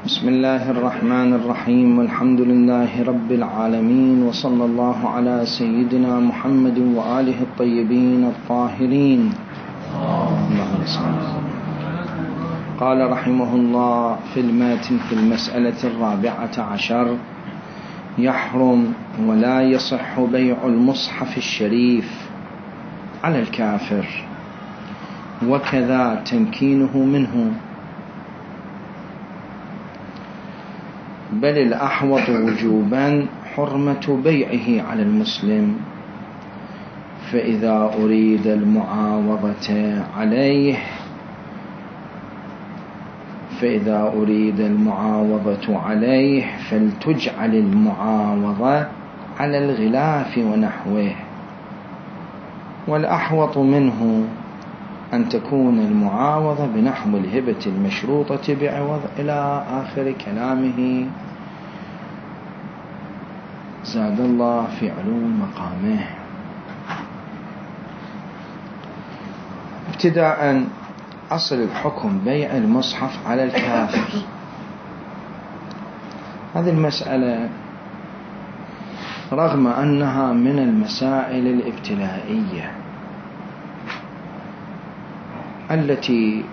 بسم الله الرحمن الرحيم، والحمد لله رب العالمين، وصلى الله على سيدنا محمد وآله الطيبين الطاهرين. قال رحمه الله في الماتن في المسألة 14: يحرم ولا يصح بيع المصحف الشريف على الكافر، وكذا تمكينه منه، بل الأحوط وجوبا حرمة بيعه على المسلم، فإذا أريد المعاوضة عليه فلتجعل المعاوضة على الغلاف ونحوه، والأحوط منه أن تكون المعاوضة بنحو الهبة المشروطة بعوض إلى آخر كلامه زاد الله في علو مقامه. ابتداء أصل الحكم بيع المصحف على الكافر. هذه المسألة رغم أنها من المسائل الابتلائية التي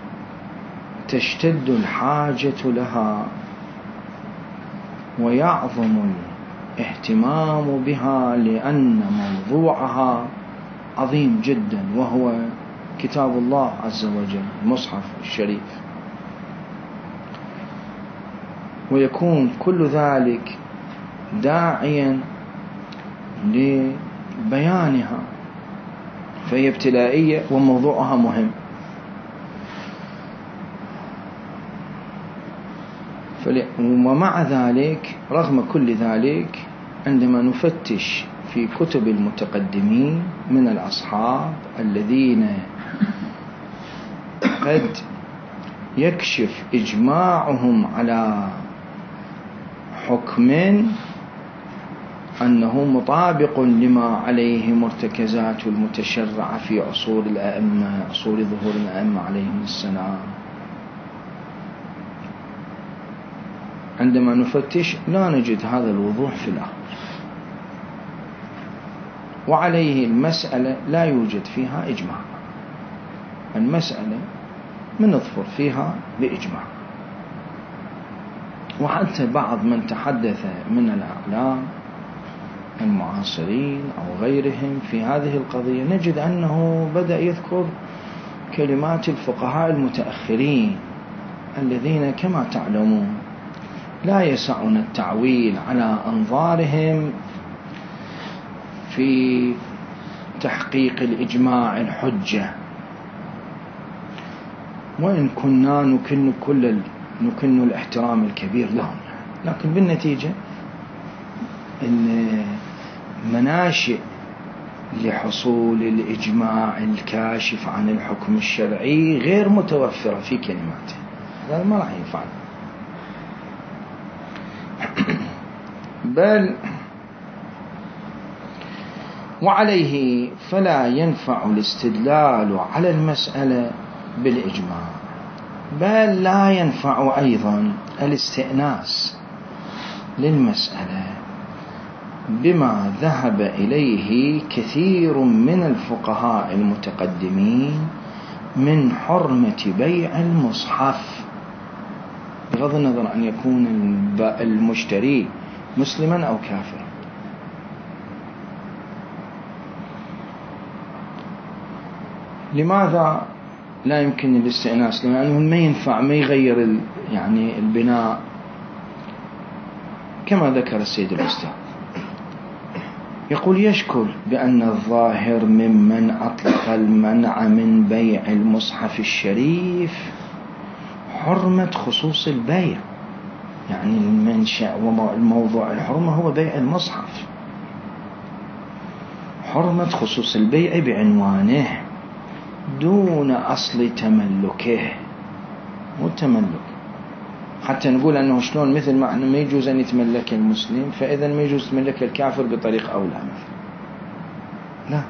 تشتد الحاجة لها ويعظم الاهتمام بها، لأن موضوعها عظيم جدا، وهو كتاب الله عز وجل المصحف الشريف، ويكون كل ذلك داعيا لبيانها، فهي ابتلائية وموضوعها مهم. ومع ذلك رغم كل ذلك عندما نفتش في كتب المتقدمين من الأصحاب الذين قد يكشف إجماعهم على حكم أنه مطابق لما عليه مرتكزات المتشرعة في عصور الأئمة، عصور ظهور الأئمة عليهم السلام، عندما نفتش لا نجد هذا الوضوح في الأمر، وعليه المسألة لا يوجد فيها إجماع. المسألة من نظفر فيها بإجماع، وحتى بعض من تحدث من الأعلام المعاصرين أو غيرهم في هذه القضية نجد أنه بدأ يذكر كلمات الفقهاء المتأخرين الذين كما تعلمون لا يسعنا التعويل على أنظارهم في تحقيق الإجماع الحجة، وإن كنا نكن الاحترام الكبير لهم، لكن بالنتيجة المناشئ لحصول الإجماع الكاشف عن الحكم الشرعي غير متوفرة في كلماته، هذا ما راح ينفعنا. بل وعليه فلا ينفع الاستدلال على المسألة بالإجماع، بل لا ينفع أيضا الاستئناس للمسألة بما ذهب إليه كثير من الفقهاء المتقدمين من حرمة بيع المصحف، بغض النظر أن يكون المشتري مسلما أو كافرا. لماذا لا يمكن الاستئناس؟ لأنه ما ينفع، ما يغير يعني البناء كما ذكر السيد الأستاذ. يقول يشكل بأن الظاهر ممن أطلق المنع من بيع المصحف الشريف حرمة خصوص البيع، يعني المنشأ وموضوع الحرمة هو بيع المصحف، حرمة خصوص البيع بعنوانه دون أصل تملكه، والتملك حتى نقول أنه شلون، مثل ما ما يجوز أن يتملك المسلم فإذا ما يجوز تملك الكافر بطريق أولى مثلا. لا،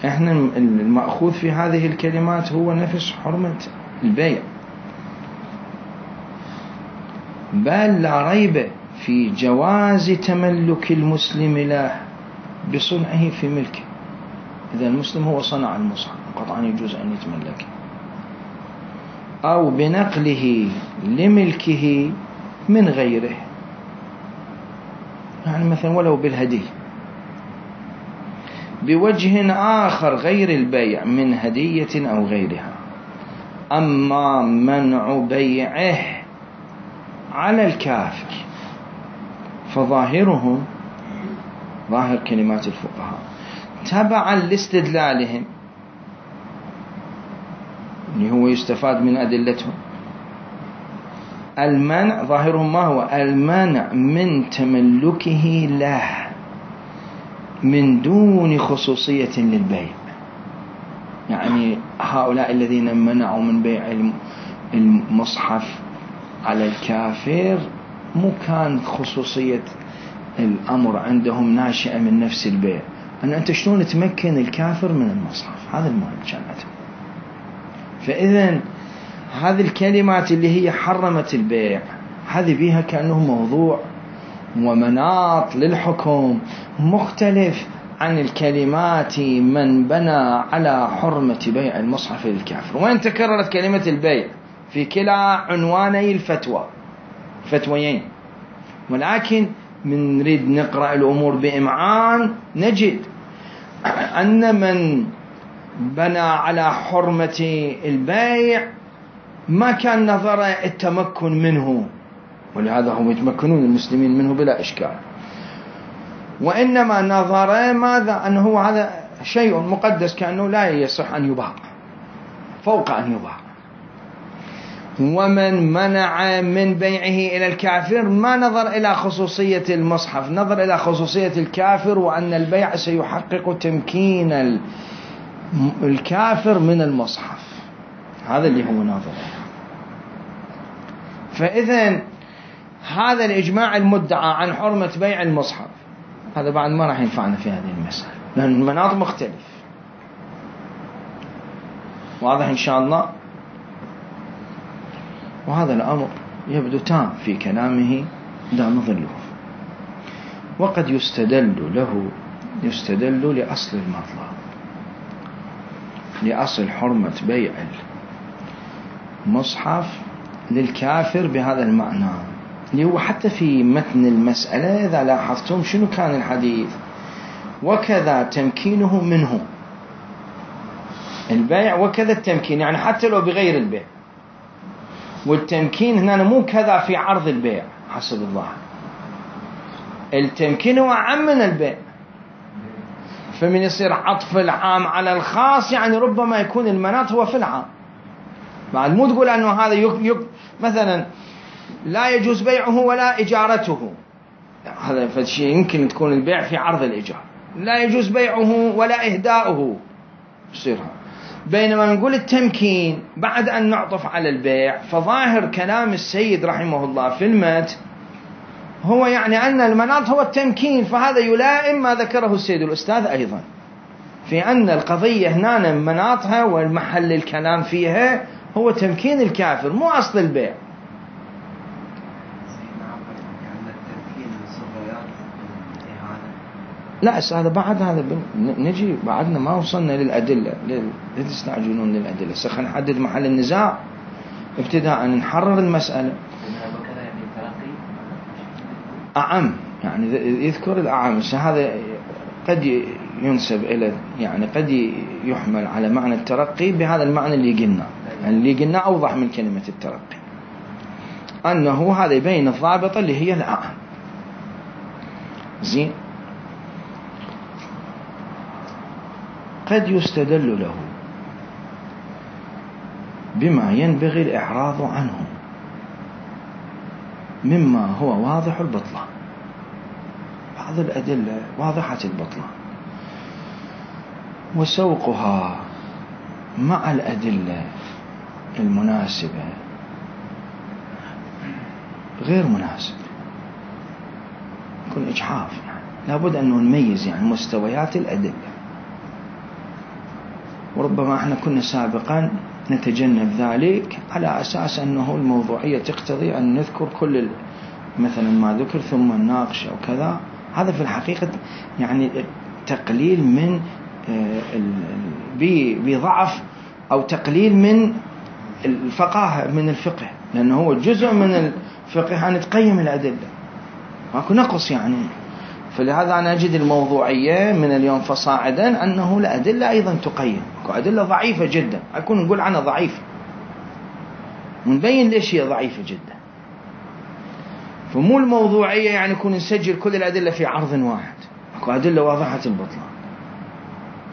احنا المأخوذ في هذه الكلمات هو نفس حرمة البيع. بل لا ريب في جواز تملك المسلم له بصنعه في ملكه. إذا المسلم هو صنع المصحف قطعا يجوز أن يتملكه، أو بنقله لملكه من غيره، يعني مثلا ولو بالهدي بوجه آخر غير البيع من هدية أو غيرها. أما منع بيعه على الكافر فظاهرهم، ظاهر كلمات الفقهاء تبعا لاستدلالهم اللي هو يستفاد من أدلتهم، المنع ظاهرهم ما هو؟ المنع من تملكه له من دون خصوصية للبيع. يعني هؤلاء الذين منعوا من بيع المصحف على الكافر مو كان خصوصية الأمر عندهم ناشئة من نفس البيع، أن أنت شلون تمكن الكافر من المصحف، هذا المهم كان عندهم. فإذن هذه الكلمات اللي هي حرمت البيع هذه بيها كأنه موضوع ومناط للحكم مختلف عن الكلمات من بنى على حرمة بيع المصحف للكافر. وين تكررت كلمة البيع في كلا عنواني الفتوى، فتويين، ولكن من نريد نقرأ الأمور بإمعان نجد أن من بنى على حرمة البيع ما كان نظر التمكن منه، ولهذا هم يتمكنون المسلمين منه بلا إشكال، وإنما نظر ماذا؟ أنه هذا شيء مقدس كأنه لا يصح أن يباع فوق أن يباع. ومن منع من بيعه إلى الكافر ما نظر إلى خصوصية المصحف، نظر إلى خصوصية الكافر وأن البيع سيحقق تمكين الكافر من المصحف، هذا اللي هو ناظر. فإذن هذا الإجماع المدعى عن حرمة بيع المصحف هذا بعد ما راح ينفعنا في هذه المسألة، لأن المناط مختلف. واضح إن شاء الله؟ وهذا الأمر يبدو تام في كلامه لا نظله. وقد يستدل لأصل المطلب، لأصل حرمة بيع المصحف للكافر بهذا المعنى، اللي هو حتى في متن المسألة إذا لاحظتم شنو كان الحديث؟ وكذا تمكينه منه البيع وكذا التمكين، يعني حتى لو بغير البيع. والتمكين هنا مو كذا في عرض البيع حسب الظاهر، التمكين هو أعم من البيع. فمن يصير عطف العام على الخاص، يعني ربما يكون المناط هو في العام. بعد مو تقول أنه هذا مثلا لا يجوز بيعه ولا إجارته، هذا فالشيء يمكن تكون البيع في عرض الإيجار، لا يجوز بيعه ولا إهداؤه يصيرها. بينما نقول التمكين بعد أن نعطف على البيع، فظاهر كلام السيد رحمه الله في المت هو يعني أن المناط هو التمكين، فهذا يلائم ما ذكره السيد الأستاذ أيضا في أن القضية هنا مناطها والمحل الكلام فيها هو تمكين الكافر مو أصل البيع. لا هذا بعد، هذا نجي بعدنا ما وصلنا للأدلة، لا تستعجلون للأدلة. خلينا نحدد محل النزاع ابتداء نحرر المسألة. أعم يعني يذكر الأعم، هذا قد ينسب إلى يعني قد يحمل على معنى الترقي بهذا المعنى اللي قلنا، يعني اللي قلنا أوضح من كلمة الترقي، أنه هذا يبين الضابطة اللي هي الأعم. زين، قد يستدل له بما ينبغي الإعراض عنه مما هو واضح البطلان. بعض الأدلة واضحة البطلان وسوقها مع الأدلة المناسبة غير مناسب، يكون إجحاف. يعني لابد أن نميز يعني مستويات الأدلة. وربما احنا كنا سابقا نتجنب ذلك على أساس أنه الموضوعية تقتضي أن نذكر كل مثلا ما ذكر ثم نناقش أو كذا. هذا في الحقيقة يعني تقليل من بضعف أو تقليل من الفقاهة من الفقه، لأنه هو جزء من الفقه أن تقيم الأدلة، ماكو نقص يعني. فلهذا أنا أجد الموضوعية من اليوم فصاعدا أنه الأدلة أيضا تقيم، أدلة ضعيفة جدا أكون نقول عنها ضعيفة ونبين ليش هي ضعيفة جدا. فمو الموضوعية يعني يكون نسجل كل الأدلة في عرض واحد، أكو أدلة واضحة البطلان،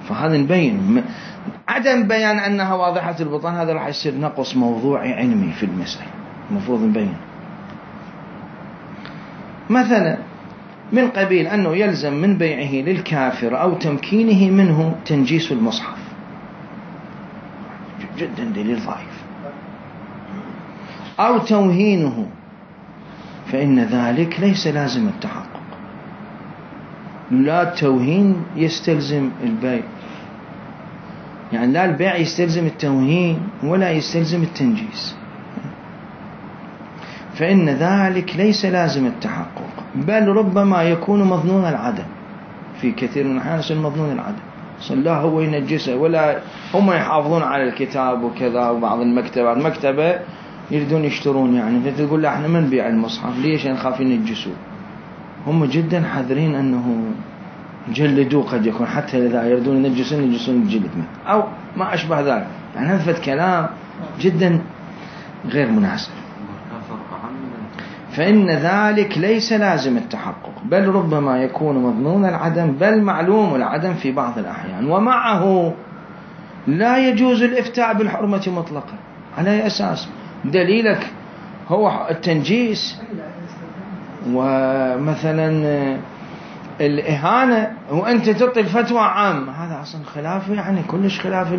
فهذا نبين. عدم بيان أنها واضحة البطلان هذا راح يصير نقص موضوعي علمي في المسألة، المفروض نبين. مثلا من قبيل أنه يلزم من بيعه للكافر أو تمكينه منه تنجيس المصحف، جدا دليل ضعيف، أو توهينه، فإن ذلك ليس لازم التحقق. لا التوهين يستلزم البيع، يعني لا البيع يستلزم التوهين ولا يستلزم التنجيس، فإن ذلك ليس لازم التحقق، بل ربما يكون مظنون العدم. في كثير من الأحيان يصير مظنون العدم، لا هو ينجسه ولا هم يحافظون على الكتاب وكذا. وبعض المكتبة يريدون يشترون، يعني فتقول له احنا ما نبيع المصحف، ليش؟ نخاف ينجسوه. هم جدا حذرين أنه جلدوه، قد يكون حتى إذا يريدون ينجسون الجلد منه أو ما أشبه ذلك. يعني هذا كلام جدا غير مناسب. فإن ذلك ليس لازم التحقق، بل ربما يكون مظنون العدم، بل معلوم العدم في بعض الأحيان. ومعه لا يجوز الإفتاء بالحرمة مطلقا. على أي أساس؟ دليلك هو التنجيس ومثلا الإهانة، وأنت تعطي الفتوى عام، هذا أصلا خلاف، يعني كلش خلاف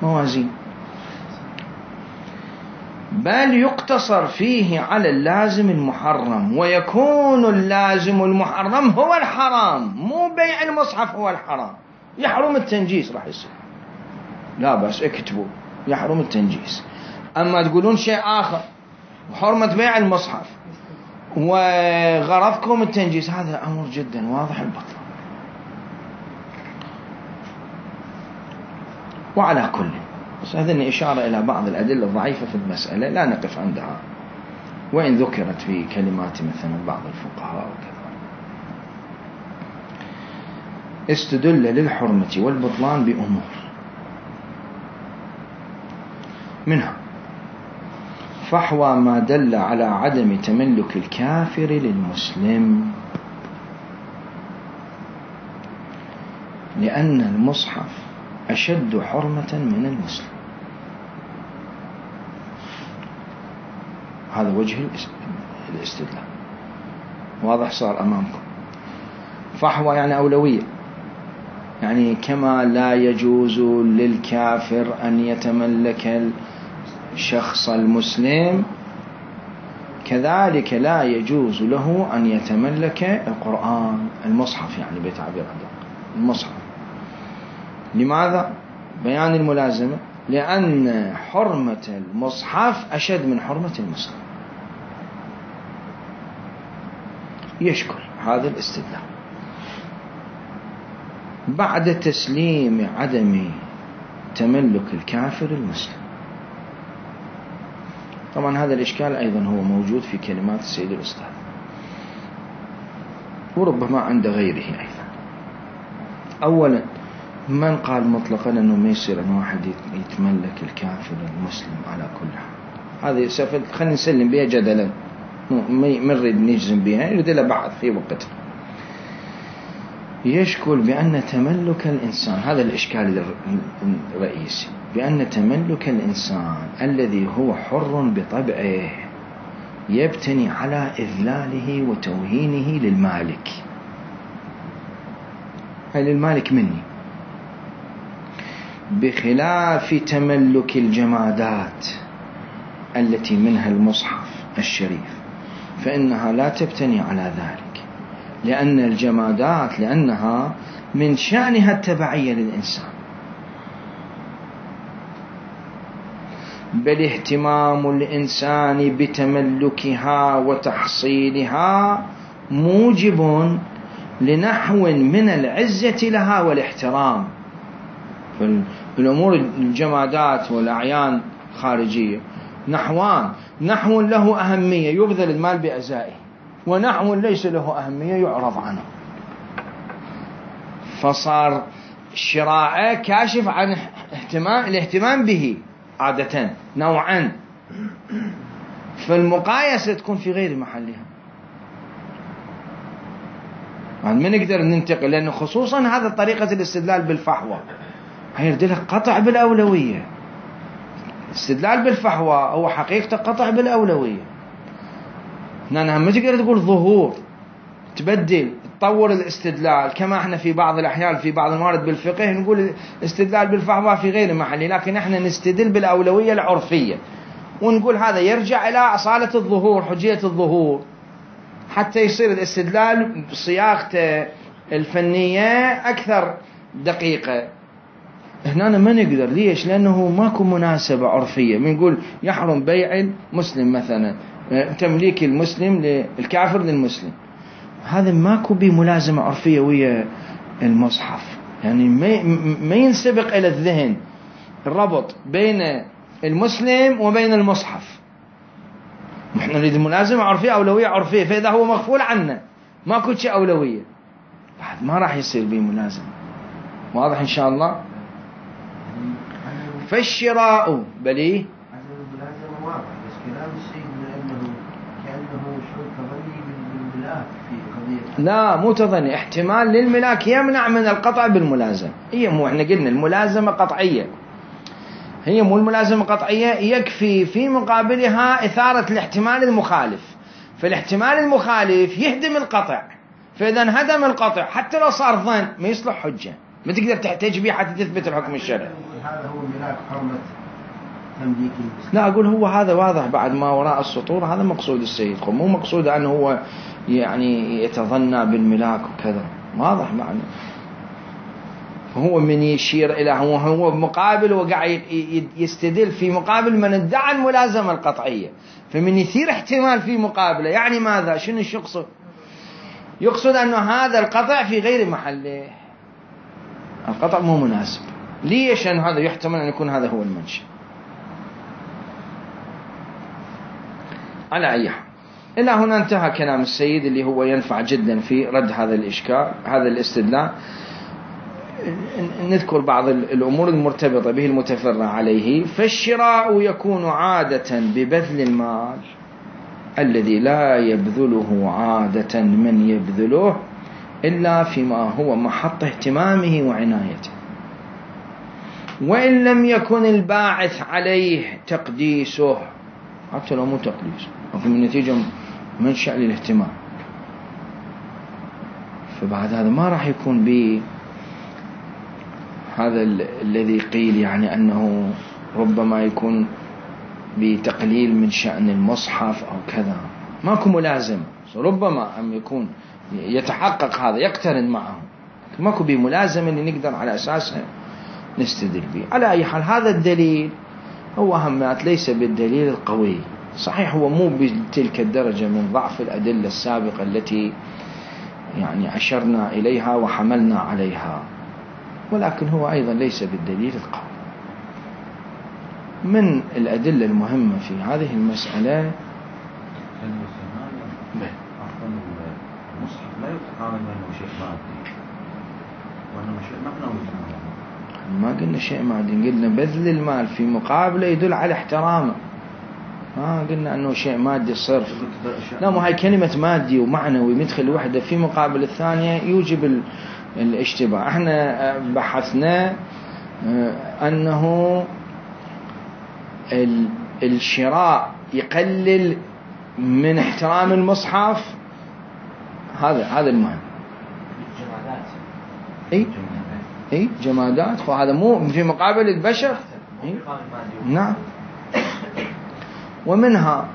الموازين. بل يقتصر فيه على اللازم المحرم، ويكون اللازم المحرم هو الحرام، مو بيع المصحف هو الحرام. يحرم التنجيس راح يصير، لا بس اكتبوا يحرم التنجيس. أما تقولون شيء آخر وحرمة بيع المصحف وغرضكم التنجيس، هذا أمر جدا واضح البطل. وعلى كل، بس هذه إشارة إلى بعض الأدلة الضعيفة في المسألة لا نقف عندها، وإن ذكرت في كلمات مثلا بعض الفقهاء وكذا. استدل للحرمة والبطلان بأمور، منها فحوى ما دل على عدم تملك الكافر للمسلم، لأن المصحف أشد حرمة من المسلم. هذا وجه الاستدلال، واضح صار أمامكم. فحوى يعني أولوية، يعني كما لا يجوز للكافر أن يتملك الشخص المسلم، كذلك لا يجوز له أن يتملك القرآن، المصحف يعني بتعبير المصحف. لماذا؟ بيان الملازمة، لأن حرمة المصحف أشد من حرمة المسلم. يشكل هذا الاستدلال بعد تسليم عدم تملك الكافر المسلم. طبعا هذا الإشكال أيضا هو موجود في كلمات السيد الأستاذ، وربما عند غيره أيضا. أولا، من قال مطلقا أنه ما يصير أن واحد يتملك الكافر المسلم على كل حال؟ هذه خلينا نسلم بها جدلا، ما نريد نجزم بها، نريد لها بعض في وقتها. يشكل بأن تملك الإنسان، هذا الإشكال الرئيسي، بأن تملك الإنسان الذي هو حر بطبعه يبتني على إذلاله وتوهينه للمالك، أي للمالك مني، بخلاف تملك الجمادات التي منها المصحف الشريف، فإنها لا تبتني على ذلك، لأن الجمادات لأنها من شأنها التبعية للإنسان. بل اهتمام الإنسان بتملكها وتحصيلها موجب لنحو من العزة لها والاحترام. فالأمور الجمادات والأعيان الخارجية نحوان: نحو له أهمية يبذل المال بأزائه، ونحو ليس له أهمية يعرض عنه. فصار شراءه كاشف عن الاهتمام به عادة نوعا، فالمقايسة تكون في غير محلها. ما نقدر ننتقل، لأنه خصوصا هذا طريقة الاستدلال بالفحوى هيردلك قطع بالأولوية. الاستدلال بالفحوى هو حقيقة قطع بالأولوية. هنا ما تقدر تقول ظهور تبدل تطور الاستدلال، كما احنا في بعض الأحيان في بعض الموارد بالفقه نقول استدلال بالفحوى في غير محله، لكن احنا نستدل بالأولوية العرفية ونقول هذا يرجع إلى أصالة الظهور، حجية الظهور، حتى يصير الاستدلال بصياغته الفنية أكثر دقيقة. هنا ما نقدر. ليش؟ لأنه ماكو مناسبة عرفية. بنقول يحرم بيع المسلم مثلا، تمليك المسلم للكافر للمسلم، هذا ماكو بملازمة عرفية ويا المصحف. يعني ما ينسبق إلى الذهن الربط بين المسلم وبين المصحف. نحن نريد ملازمة عرفية، أولوية عرفية، فإذا هو مغفول عنه ماكو شيء أولوية، بعد ما راح يصير به ملازمة. واضح إن شاء الله؟ فالشراء بليه الملازمة واضح، بس كلام السيد أنه كأنه شعور تظني بالملاك في قضية. لا مو تظني، احتمال للملاك يمنع من القطع بالملازمة. هي مو احنا قلنا الملازمة قطعية، هي مو الملازمة قطعية، يكفي في مقابلها إثارة الاحتمال المخالف. فالاحتمال المخالف يهدم القطع، فإذا انهدم القطع حتى لو صار ظن ما يصلح حجة، ما تقدر تحتاج به حتى تثبت الحكم الشرعي. هذا هو ملاك حرمة تمليك المسلم. لا أقول هو هذا واضح بعد ما وراء السطور، هذا مقصود السيد، مو مقصود أنه هو يعني يتظنى بالملاك وكذا، واضح معنى. هو من يشير إلى هو مقابل وقاعد يستدل في مقابل من ادعى الملازمة القطعية، فمن يثير احتمال في مقابله. يعني ماذا؟ شنو يقصد؟ يقصد أنه هذا القطع في غير محله، القطع مو مناسب. ليش؟ أن هذا يحتمل أن يكون هذا هو المنشأ. على أي حال، إلى هنا انتهى كلام السيد اللي هو ينفع جدا في رد هذا الإشكال، هذا الاستدلال. نذكر بعض الأمور المرتبطة به المتفرع عليه. فالشراء يكون عادة ببذل المال الذي لا يبذله عادة من يبذله إلا فيما هو محط اهتمامه وعنايته، وإن لم يكن الباعث عليه تقديسه، حتى لو مو تقديس وفي النتيجة منشأ للاهتمام، فبعد هذا ما راح يكون هذا الذي قيل يعني أنه ربما يكون بتقليل من شأن المصحف أو كذا، ماكو ملازم. ربما أن يكون يتحقق هذا يقترن معه، ماكو بملازمة اللي نقدر على أساسها نستدل به. على أي حال هذا الدليل هو أهمات ليس بالدليل القوي. صحيح هو مو بتلك الدرجة من ضعف الأدلة السابقة التي يعني أشرنا إليها وحملنا عليها، ولكن هو أيضا ليس بالدليل القوي. من الأدلة المهمة في هذه المسألة المصحف لا يتعامل أنه شيء مادي وأنه شيء معنوي. ما قلنا شيء مادي، قلنا بذل المال في مقابله يدل على احترامه، ما قلنا أنه شيء مادي صرف. لا، مو هاي كلمة مادي ومعنوي مدخل وحدة في مقابل الثانية يوجب الاشتباه. احنا بحثنا أنه الشراء يقلل من احترام المصحف، هذا المهم. اي جمادات، فهذا مو في مقابل البشر. نعم. ومنها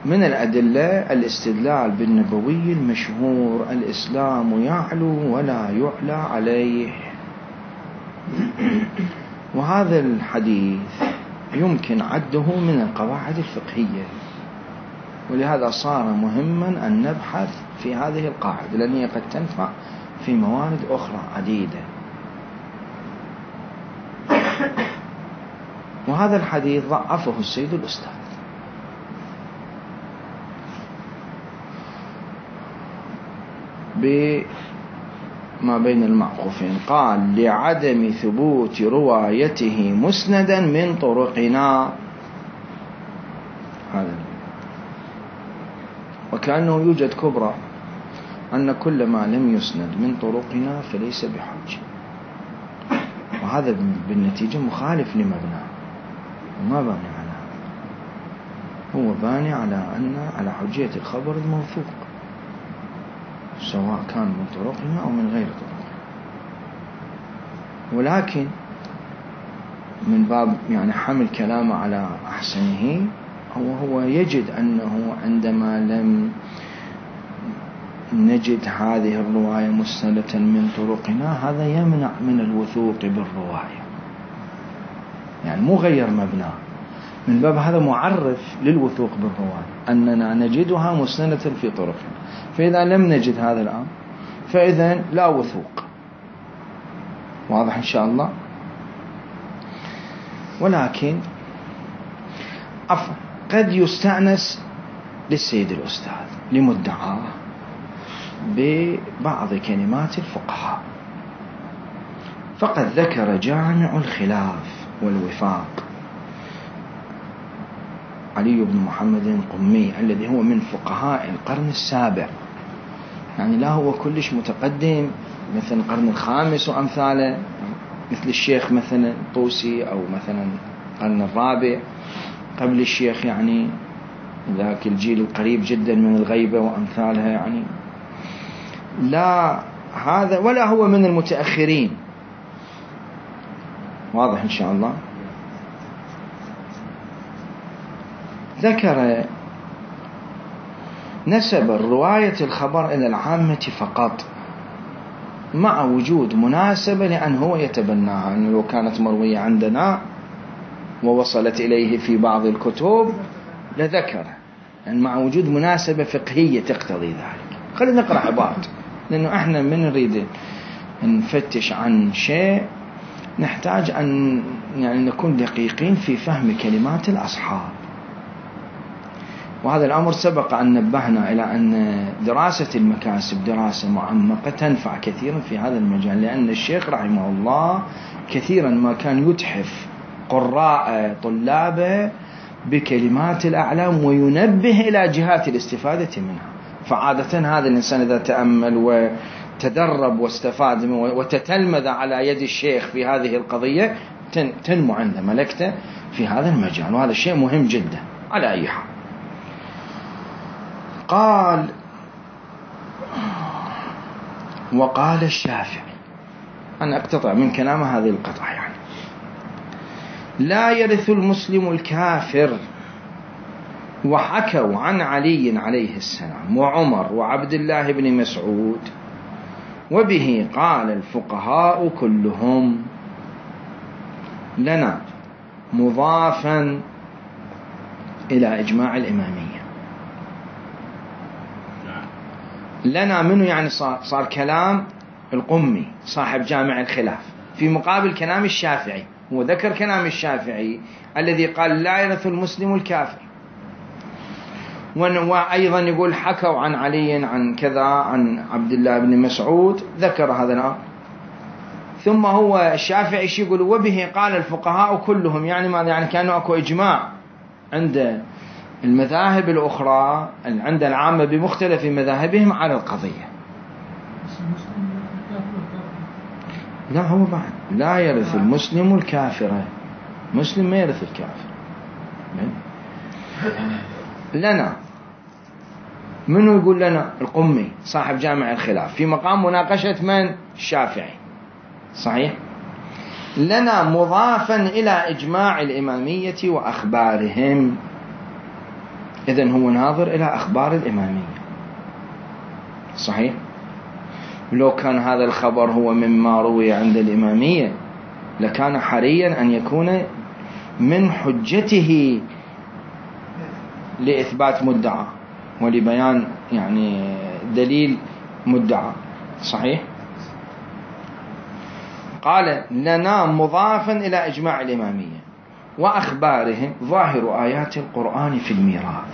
من الأدلة الاستدلال بالنبوي المشهور: الإسلام يعلو ولا يعلى عليه. وهذا الحديث يمكن عده من القواعد الفقهية، ولهذا صار مهما أن نبحث في هذه القاعدة، لأن هي قد تنفع في موارد أخرى عديدة. وهذا الحديث ضعفه السيد الأستاذ، بما بين المعقوفين، قال لعدم ثبوت روايته مسندا من طرقنا. هذا وكأنه يوجد كبرى أن كل ما لم يسند من طرقنا فليس بحجة، وهذا بالنتيجة مخالف لمبناه، وما باني على هذا، هو باني على حجية الخبر الموثوق، سواء كان من طرقنا أو من غير طرقنا. ولكن من باب يعني حمل كلامه على أحسنه، هو يجد أنه عندما لم نجد هذه الرواية مسندة من طرقنا هذا يمنع من الوثوق بالرواية، يعني مو غير مبناه، من باب هذا معرف للوثوق بالرواية أننا نجدها مسندة في طرقنا. فإذا لم نجد هذا الأمر فإذا لا وثوق. واضح إن شاء الله. ولكن قد يستأنس للسيد الأستاذ لمدعاه ببعض كلمات الفقهاء، فقد ذكر جامع الخلاف والوفاق علي بن محمد القمي الذي هو من فقهاء القرن السابع، يعني لا هو كلش متقدم مثل القرن الخامس وأمثاله، مثل الشيخ مثلا طوسي أو مثلا القرن الرابع قبل الشيخ، يعني ذاك الجيل القريب جدا من الغيبة وأمثالها، يعني لا هذا ولا هو من المتأخرين. واضح إن شاء الله. ذكر نسب رواية الخبر إلى العامة فقط، مع وجود مناسبة لأن هو يتبناها، أنه لو كانت مروية عندنا ووصلت إليه في بعض الكتب لذكر، يعني مع وجود مناسبة فقهية تقتضي ذلك. خلينا نقرأ عبارة، لأنه احنا من نريد نفتش عن شيء نحتاج أن يعني نكون دقيقين في فهم كلمات الأصحاب. وهذا الأمر سبق أن نبهنا إلى أن دراسة المكاسب دراسة معمقة تنفع كثيرا في هذا المجال، لأن الشيخ رحمه الله كثيرا ما كان يتحف قراء طلابه بكلمات الأعلام وينبه إلى جهات الاستفادة منها. فعادة هذا الإنسان إذا تأمل وتدرب واستفاد وتتلمذ على يد الشيخ في هذه القضية تنمو عنده ملكته في هذا المجال، وهذا الشيء مهم جدا على أي حال. قال وقال الشافعي، أنا أقتطع من كلامه هذه القطعة، يعني لا يرث المسلم الكافر، وحكوا عن علي عليه السلام وعمر وعبد الله بن مسعود، وبه قال الفقهاء كلهم، لنا مضافا إلى إجماع الإمامية. لنا منه يعني صار كلام القمي صاحب جامع الخلاف في مقابل كلام الشافعي، وذكر كلام الشافعي الذي قال لا يرث المسلم الكافر، وأيضا يقول حكوا عن علي عن كذا عن عبد الله بن مسعود، ذكر هذا الأمر. ثم هو الشافعي يقول وبه قال الفقهاء كلهم، يعني ماذا؟ يعني كانوا أكو إجماع عند المذاهب الأخرى، عند العامة بمختلف مذاهبهم على القضية. لا هو بعد لا يرث المسلم الكافر، مسلم ما يرث الكافر. لنا منه يقول لنا القمي صاحب جامع الخلاف في مقام مناقشة من؟ الشافعي، صحيح. لنا مضافا إلى إجماع الإمامية وأخبارهم، إذن هو ناظر إلى أخبار الإمامية، صحيح. لو كان هذا الخبر هو مما روي عند الإمامية لكان حريا أن يكون من حجته لإثبات مدعى ولبيان يعني دليل مدعى. صحيح. قال لنا مضافا إلى إجماع الإمامية وأخبارهم ظاهر آيات القرآن في الميراث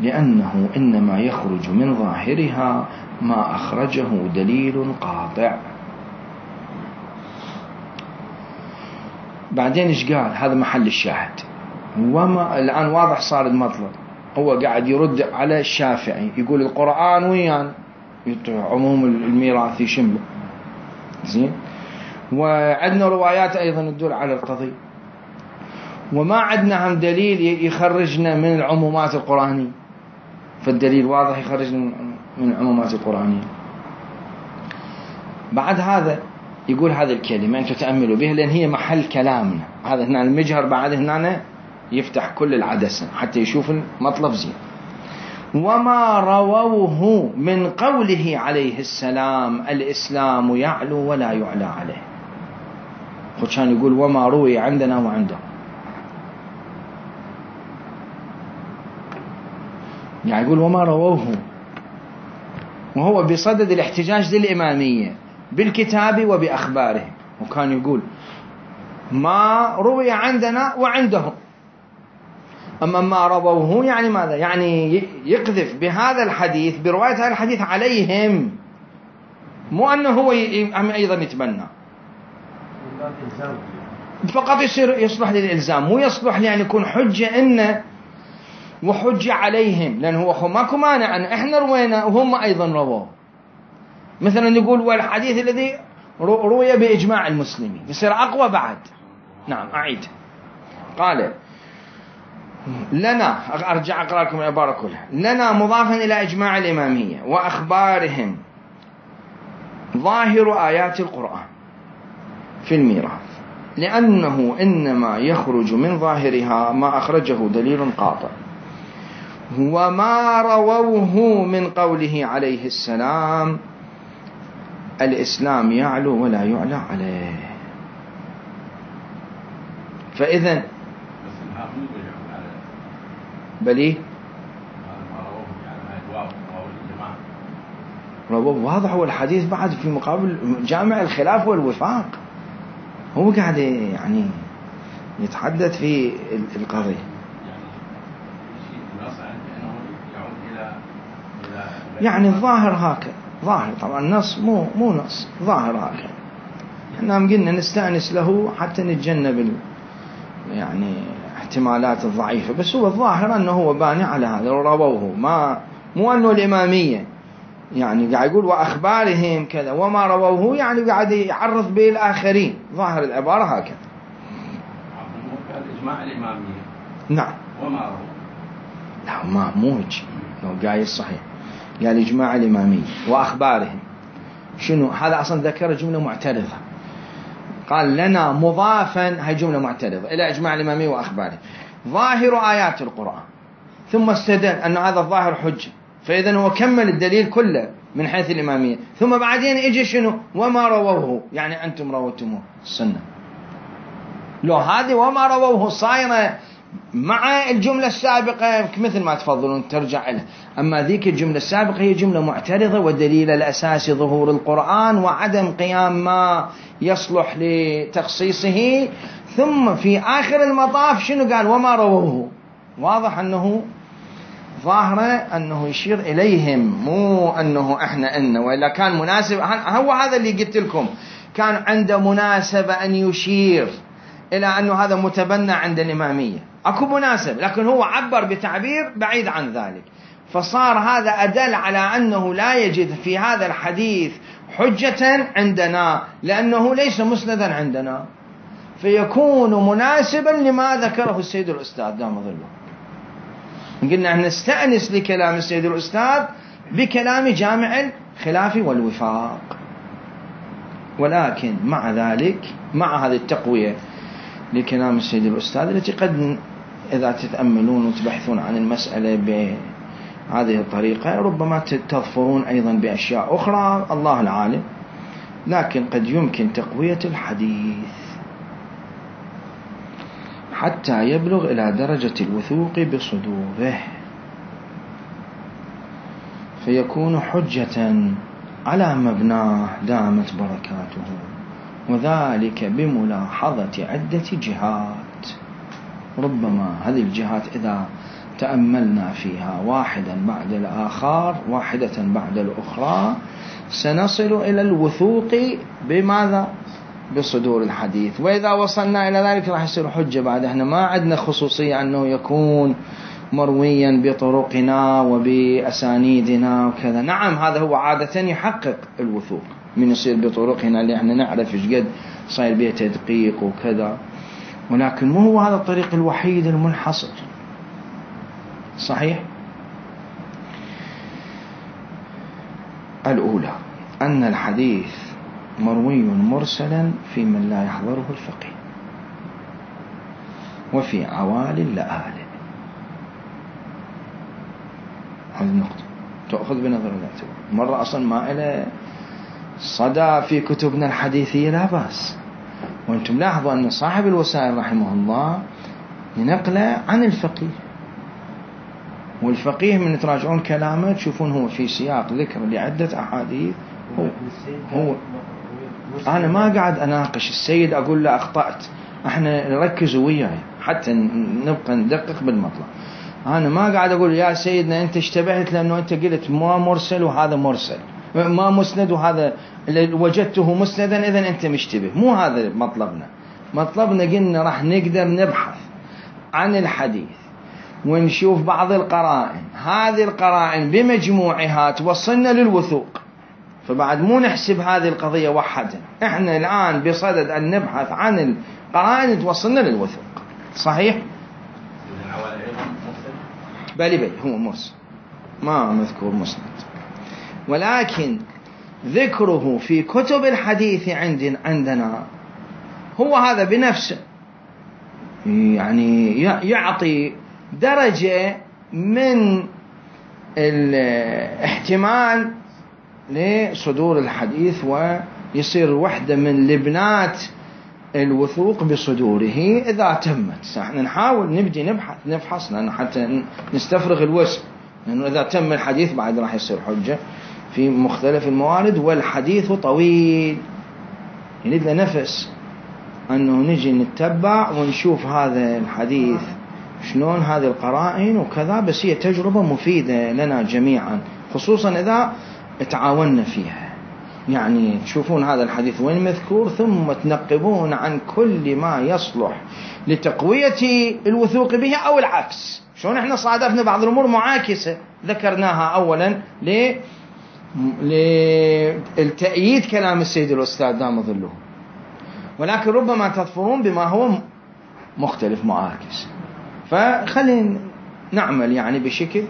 لأنه إنما يخرج من ظاهرها ما أخرجه دليل قاطع. بعدين إيش قال؟ هذا محل الشاهد. وما الآن واضح صار المطلب. هو قاعد يرد على الشافعي يقول القرآن ويان عموم الميراث يشمله زين، وعندنا روايات أيضا تدل على القضية، وما عندنا هم دليل يخرجنا من العمومات القرآنية، فالدليل واضح يخرجنا من العمومات القرآنية. بعد هذا يقول هذه الكلمة أنتم تأملوا بها لأن هي محل كلامنا. هذا هنا المجهر بعد هنا يفتح كل العدسة حتى يشوف المطلب زين. وما رووه من قوله عليه السلام الإسلام يعلو ولا يعلى عليه. كان يقول وما روي عندنا وعنده، يعني يقول وما رووه، وهو بصدد الاحتجاج للإمامية بالكتاب وبأخباره. وكان يقول ما روي عندنا وعندهم، أما ما رووه يعني ماذا؟ يعني يقذف بهذا الحديث برواية هذا الحديث عليهم، مو أنه هو أيضا يتبنى فقط يصلح للإلزام، مو يصلح لأن يكون حجة إنه وحجة عليهم، لأن هو ماكو مانع أن إحنا روينا وهم أيضا رووه. مثلا نقول والحديث الذي روي بإجماع المسلمين يصير أقوى بعد. نعم أعيد. قال لنا، أرجع أقرأ لكم العبارة كلها. لنا مضافا إلى إجماع الإمامية وأخبارهم ظاهر آيات القرآن في الميراث لأنه إنما يخرج من ظاهرها ما أخرجه دليل قاطع. وما رووه من قوله عليه السلام الإسلام يعلو ولا يعلى عليه. فإذن بلي رواه واضح، هو الحديث بعد في مقابل جامع الخلاف والوفاق، هو قاعد يعني يتحدث في القضية. يعني الظاهر هكذا، ظاهر طبعا النص مو نص، ظاهر هكذا. احنا قلنا نستأنس له حتى نتجنب يعني احتمالات الضعيفة، بس هو الظاهر أنه هو باني على هذا رووه، مو أنه الإمامية يعني قاعد يقول وأخبارهم كذا وما رووه، يعني قاعد يعرض به الآخرين. ظاهر العبارة هكذا. إجماع الإمامية. نعم. وما رووه. لا ما موج لو قايل صحيح، قال إجماع الإمامية وأخبارهم. شنو هذا؟ أصلا ذكر جملة معترضة، قال لنا مضافا، هاي جملة معترضة إلى إجماع الإمامية وأخباره ظاهر آيات القرآن، ثم استدل أن هذا الظاهر حجة، فإذا هو كمل الدليل كله من حيث الإمامية، ثم بعدين إجي شنو؟ وما رووه، يعني أنتم روتموه السنة. لو هذه وما رووه صايرة مع الجملة السابقة مثل ما تفضلون ترجع لها، أما ذيك الجملة السابقة هي جملة معترضة، والدليل الأساسي ظهور القرآن وعدم قيام ما يصلح لتخصيصه. ثم في آخر المطاف شنو قال؟ وما رووه. واضح أنه ظاهرة أنه يشير إليهم، مو أنه إحنا إنه، وإلا كان مناسب. هو هذا اللي قلت لكم، كان عنده مناسبة أن يشير إلى أنه هذا متبنى عند الإمامية، أكو مناسب، لكن هو عبر بتعبير بعيد عن ذلك، فصار هذا أدل على أنه لا يجد في هذا الحديث حجة عندنا لأنه ليس مسندا عندنا، فيكون مناسبا لما ذكره السيد الأستاذ دام ظله. قلنا أن نستأنس لكلام السيد الأستاذ بكلام جامع الخلاف والوفاق، ولكن مع ذلك مع هذه التقوية لكلام السيد الأستاذ التي قد إذا تتأملون وتبحثون عن المسألة بهذه الطريقة ربما تظفرون أيضا بأشياء أخرى الله العالم، لكن قد يمكن تقوية الحديث. حتى يبلغ إلى درجة الوثوق بصدوره، فيكون حجة على مبناه دامت بركاته، وذلك بملاحظة عدة جهات. ربما هذه الجهات إذا تأملنا فيها واحدا بعد الآخر، واحدة بعد الأخرى، سنصل إلى الوثوق بماذا؟ بصدور الحديث. وإذا وصلنا إلى ذلك راح يصير حجة. بعد احنا ما عندنا خصوصية أنه يكون مرويا بطرقنا وبأسانيدنا وكذا. نعم هذا هو عادة يحقق الوثوق من يصير بطرقنا اللي احنا نعرف ايش قد صاير بيه تدقيق وكذا، ولكن مو هو هذا الطريق الوحيد المنحصر. صحيح. الأولى أن الحديث مروي مرسلا في من لا يحضره الفقيه وفي عوالي اللآلئ. هذه النقطة تأخذ بنظر الاعتبار. مرة أصلا ما إلى صدى في كتبنا الحديثية لا بأس. وأنتم لاحظوا أن صاحب الوسائل رحمه الله ينقله عن الفقيه، والفقيه من تراجعون كلامه تشوفون هو في سياق ذكر لعدة أحاديث. هو أنا ما قاعد أناقش السيد أقول له أخطأت، احنا نركز وياي حتى نبقى ندقق بالمطلب. أنا ما قاعد أقول يا سيدنا أنت اشتبهت لأنه أنت قلت ما مرسل وهذا مرسل، ما مسند وهذا وجدته مسندا إذن أنت مشتبه. مو هذا مطلبنا. مطلبنا قلنا راح نقدر نبحث عن الحديث ونشوف بعض القرائن، هذه القرائن بمجموعها توصلنا للوثوق، فبعد مو نحسب هذه القضية وحدها. احنا الآن بصدد أن نبحث عن القرائن توصلنا للوثوق. صحيح. بلي هو مرسل ما مذكور مسند، ولكن ذكره في كتب الحديث عندنا هو هذا بنفسه يعني يعطي درجة من الاحتمال لصدور الحديث، ويصير وحدة من لبنات الوثوق بصدوره إذا تمت. احنا نحاول نبدي نفحص لأنه حتى نستفرغ الوسع، لأنه إذا تم الحديث بعد راح يصير حجة في مختلف الموارد، والحديث طويل يريد له نفس أنه نجي نتبع ونشوف هذا الحديث شلون هذه القرائن وكذا. بس هي تجربة مفيدة لنا جميعا، خصوصا إذا تعاوننا فيها. يعني تشوفون هذا الحديث وين مذكور، ثم تنقبون عن كل ما يصلح لتقوية الوثوق به أو العكس. شلون احنا صادفنا بعض الأمور معاكسة ذكرناها أولا للتأييد كلام السيد الأستاذ دام ظله، ولكن ربما تظفرون بما هو مختلف معاكس. فخلينا نعمل يعني بشكل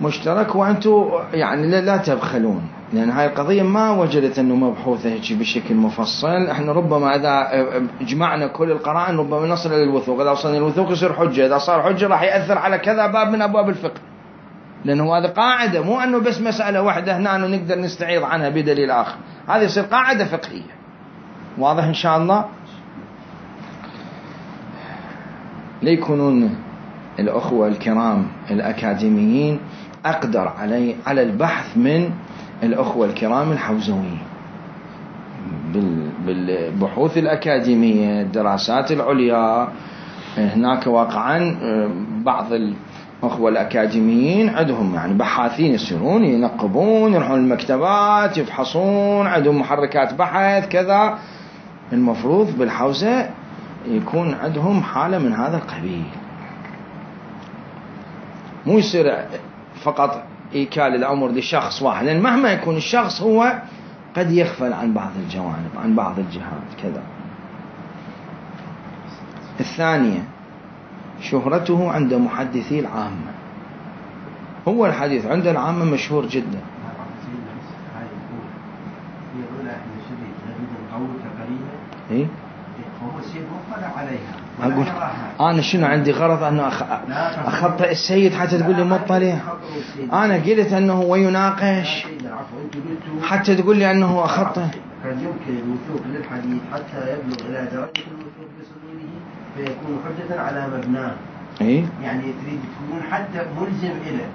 مشترك، وأنتم يعني لا تبخلون، لأن هاي القضية ما وجدت أنه مبحوثة هيك بشكل مفصل. احنا ربما إذا جمعنا كل القرائن ربما نصل للوثوق. إذا وصلنا للوثوق يصير حجة، إذا صار حجة راح يأثر على كذا باب من أبواب الفقه، لأنه هذا قاعدة، مو أنه بس مسألة واحدة هنا أنه نقدر نستعيض عنها بدليل آخر. هذه يصير قاعدة فقهية. واضح إن شاء الله؟ ليكونون الأخوة الكرام الأكاديميين أقدر على البحث من الأخوة الكرام الحوزويين بالبحوث الأكاديمية، الدراسات العليا. هناك واقعا بعض الأخوة الأكاديميين عندهم يعني بحاثين يسيرون ينقبون، يروحون المكتبات يفحصون، عندهم محركات بحث كذا. المفروض بالحوزة يكون عندهم حالة من هذا القبيل، مو يصير فقط إيكال الأمر لشخص واحد، لأن مهما يكون الشخص هو قد يغفل عن بعض الجوانب، عن بعض الجهات كذا. الثانية شهرته عند محدثي العامة. هو الحديث عند العامة مشهور جدا. إيه؟ أقول أنا شنو عندي غرض أنه أخطئ السيد حتى تقول لي مطلع؟ أنا قلت أنه هو يناقش حتى تقول لي أنه أخطئ. كان يمكن الوثوق للحديث حتى يبلغ إلى درجة الوثوق بصدوره، فيكون حجة على مبناه. إيه؟ يعني تريد تكون حتى ملزم إليه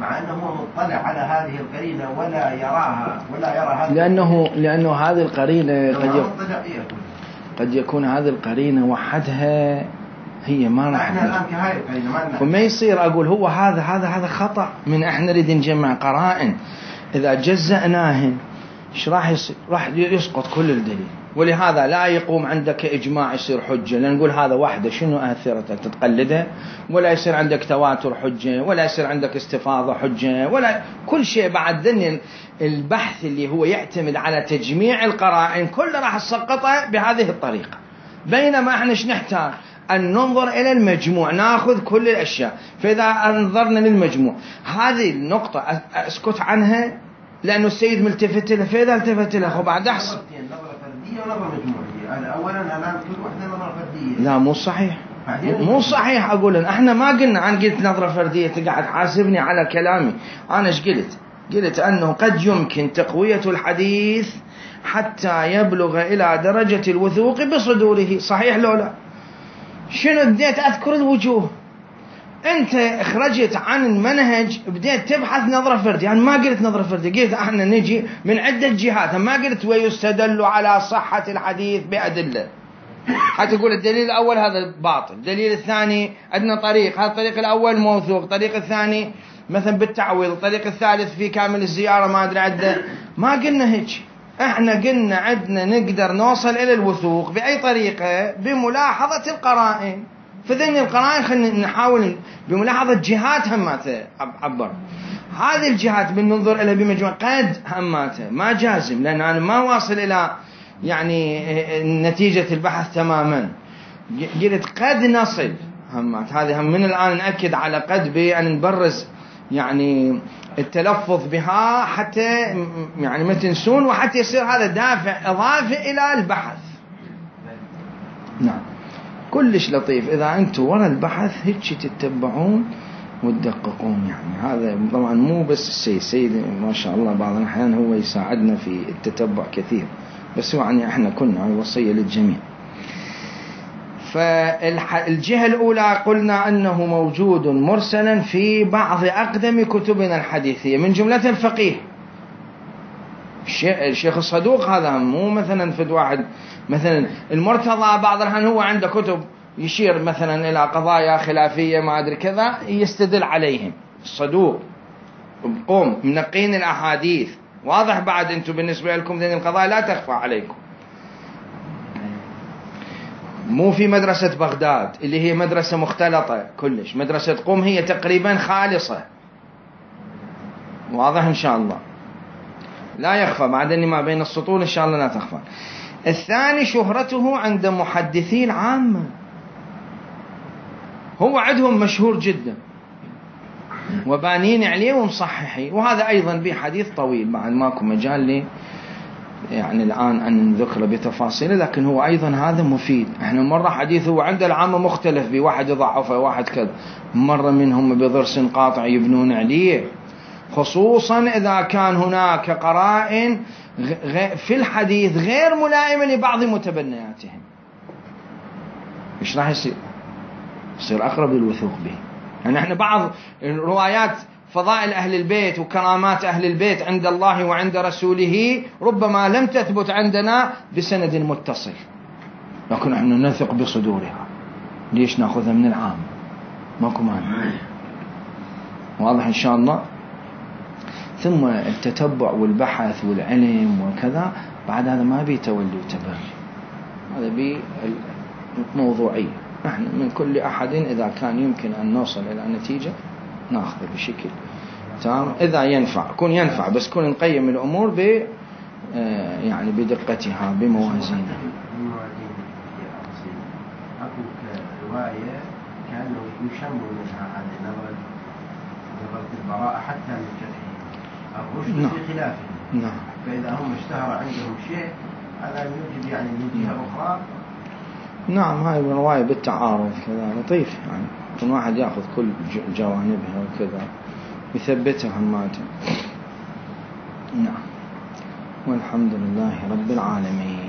مع أنه هو مطلع على هذه القرينة ولا يراها ولا يرى هذه لأنه هذه القرينة قد يكون هذه القرينة وحدها هي ما راح. احنا الآن كهاي القرينة ما لنا. وما يصير أقول هو هذا خطأ من احنا نريد نجمع قرائن، إذا جزأناهن ايش راح يصير؟ راح يسقط كل الدليل، ولهذا لا يقوم عندك إجماع يصير حجة، لأن نقول هذا وحده شنو أثرته تتقلده، ولا يصير عندك تواتر حجة، ولا يصير عندك استفاضة حجة، ولا كل شيء بعد ذن البحث اللي هو يعتمد على تجميع القرائن كله راح تسقطه بهذه الطريقة. بينما احنا ايش نحتاج؟ أن ننظر إلى المجموع، نأخذ كل الأشياء. فإذا نظرنا للمجموع هذه النقطة أسكت عنها لأنه السيد ملتفت له، فإذا التفت له وبعد أحسن. نظرة فردية ونظرة مجموعية. أنا أولا الآن كل واحدة نظرة فردية. لا مو صحيح، مو صحيح. أقول احنا ما قلنا، أنا قلت نظرة فردية تقعد حاسبني على كلامي. أنا ايش قلت أنه قد يمكن تقوية الحديث حتى يبلغ إلى درجة الوثوق بصدوره، صحيح لو لا؟ شنو بديت أذكر الوجوه، أنت اخرجت عن المنهج بديت تبحث نظرة فردية. يعني ما قلت نظرة فردية، قلت احنا نجي من عدة جهات، ما قلت ويستدل على صحة الحديث بأدلة. حتى تقول الدليل الأول هذا باطل، الدليل الثاني عندنا طريق، هذا الطريق الأول موثوق، الطريق الثاني مثلا بالتعويض، الطريق الثالث في كامل الزيارة ما أدري عده. ما قلنا هيك، احنا قلنا عندنا نقدر نوصل إلى الوثوق بأي طريقة؟ بملاحظة القرائن. فذن القرائن خلينا نحاول بملاحظة جهات هماته عبر هذه الجهات بننظر إلى بمجموع قد هماته، ما جازم، لأن أنا ما واصل إلى يعني نتيجة البحث تماما. قلت قد نصل همات هذه، هم من الآن نأكد على قد بأن نبرز يعني التلفظ بها حتى يعني ما تنسون، وحتى يصير هذا دافع إضافي إلى البحث. نعم كلش لطيف إذا أنتم وراء البحث هيك تتبعون وتدققون. يعني هذا طبعا مو بس السيد ما شاء الله بعض الأحيان هو يساعدنا في التتبع كثير، بس يعني احنا كنا وصية للجميع. فالجهة الأولى قلنا أنه موجود مرسلا في بعض أقدم كتبنا الحديثية من جملة الفقيه الشيخ الصدوق. هذا مو مثلا فد واحد مثلا المرتضى بعض الأحيان هو عنده كتب يشير مثلا إلى قضايا خلافية ما أدري كذا يستدل عليهم. الصدوق قوم منقين الأحاديث واضح. بعد أنتم بالنسبة لكم ذي القضايا لا تخفى عليكم. مو في مدرسة بغداد اللي هي مدرسة مختلطة كلش، مدرسة قوم هي تقريبا خالصة، واضح إن شاء الله لا يخفى. بعد أني ما بين السطور إن شاء الله لا تخفى. الثاني شهرته عند محدثي العامة، هو عندهم مشهور جدا وبانين عليه ومصححي، وهذا أيضا بحديث طويل بعد ماكو مجال لي يعني الآن أن نذكره بتفاصيله، لكن هو أيضا هذا مفيد. احنا مرة حديثه عند العامة مختلف بواحد يضعفه واحد كذا، مرة منهم بضرس قاطع يبنون عليه، خصوصا إذا كان هناك قرائن في الحديث غير ملائمة لبعض متبنياتهم. إيش راح يصير؟ يصير أقرب للوثوق به. يعني احنا بعض روايات فضائل أهل البيت وكرامات أهل البيت عند الله وعند رسوله ربما لم تثبت عندنا بسند متصل، لكن احنا نثق بصدورها. ليش نأخذها من العام؟ ماكو مانع. واضح إن شاء الله. ثم التتبع والبحث والعلم وكذا بعد هذا ما بي تولي وتبري، هذا بي موضوعي. نحن من كل أحد إذا كان يمكن أن نوصل إلى نتيجة نأخذ بشكل تمام، إذا ينفع كون ينفع، بس كون نقيم الأمور ب يعني بدقتها بموازينها. أكو رواية كأنه يشم منها عن نظرة البراءة حتى من جرحه الرشد في خلافه. نعم. فإذا هم اشتهر عندهم شيء هذا يوجد يعني من جهة أخرى. نعم هاي الرواية بالتعارض كذا لطيف، يعني كل واحد يأخذ كل جوانبها وكذا يثبتها هماته. نعم والحمد لله رب العالمين.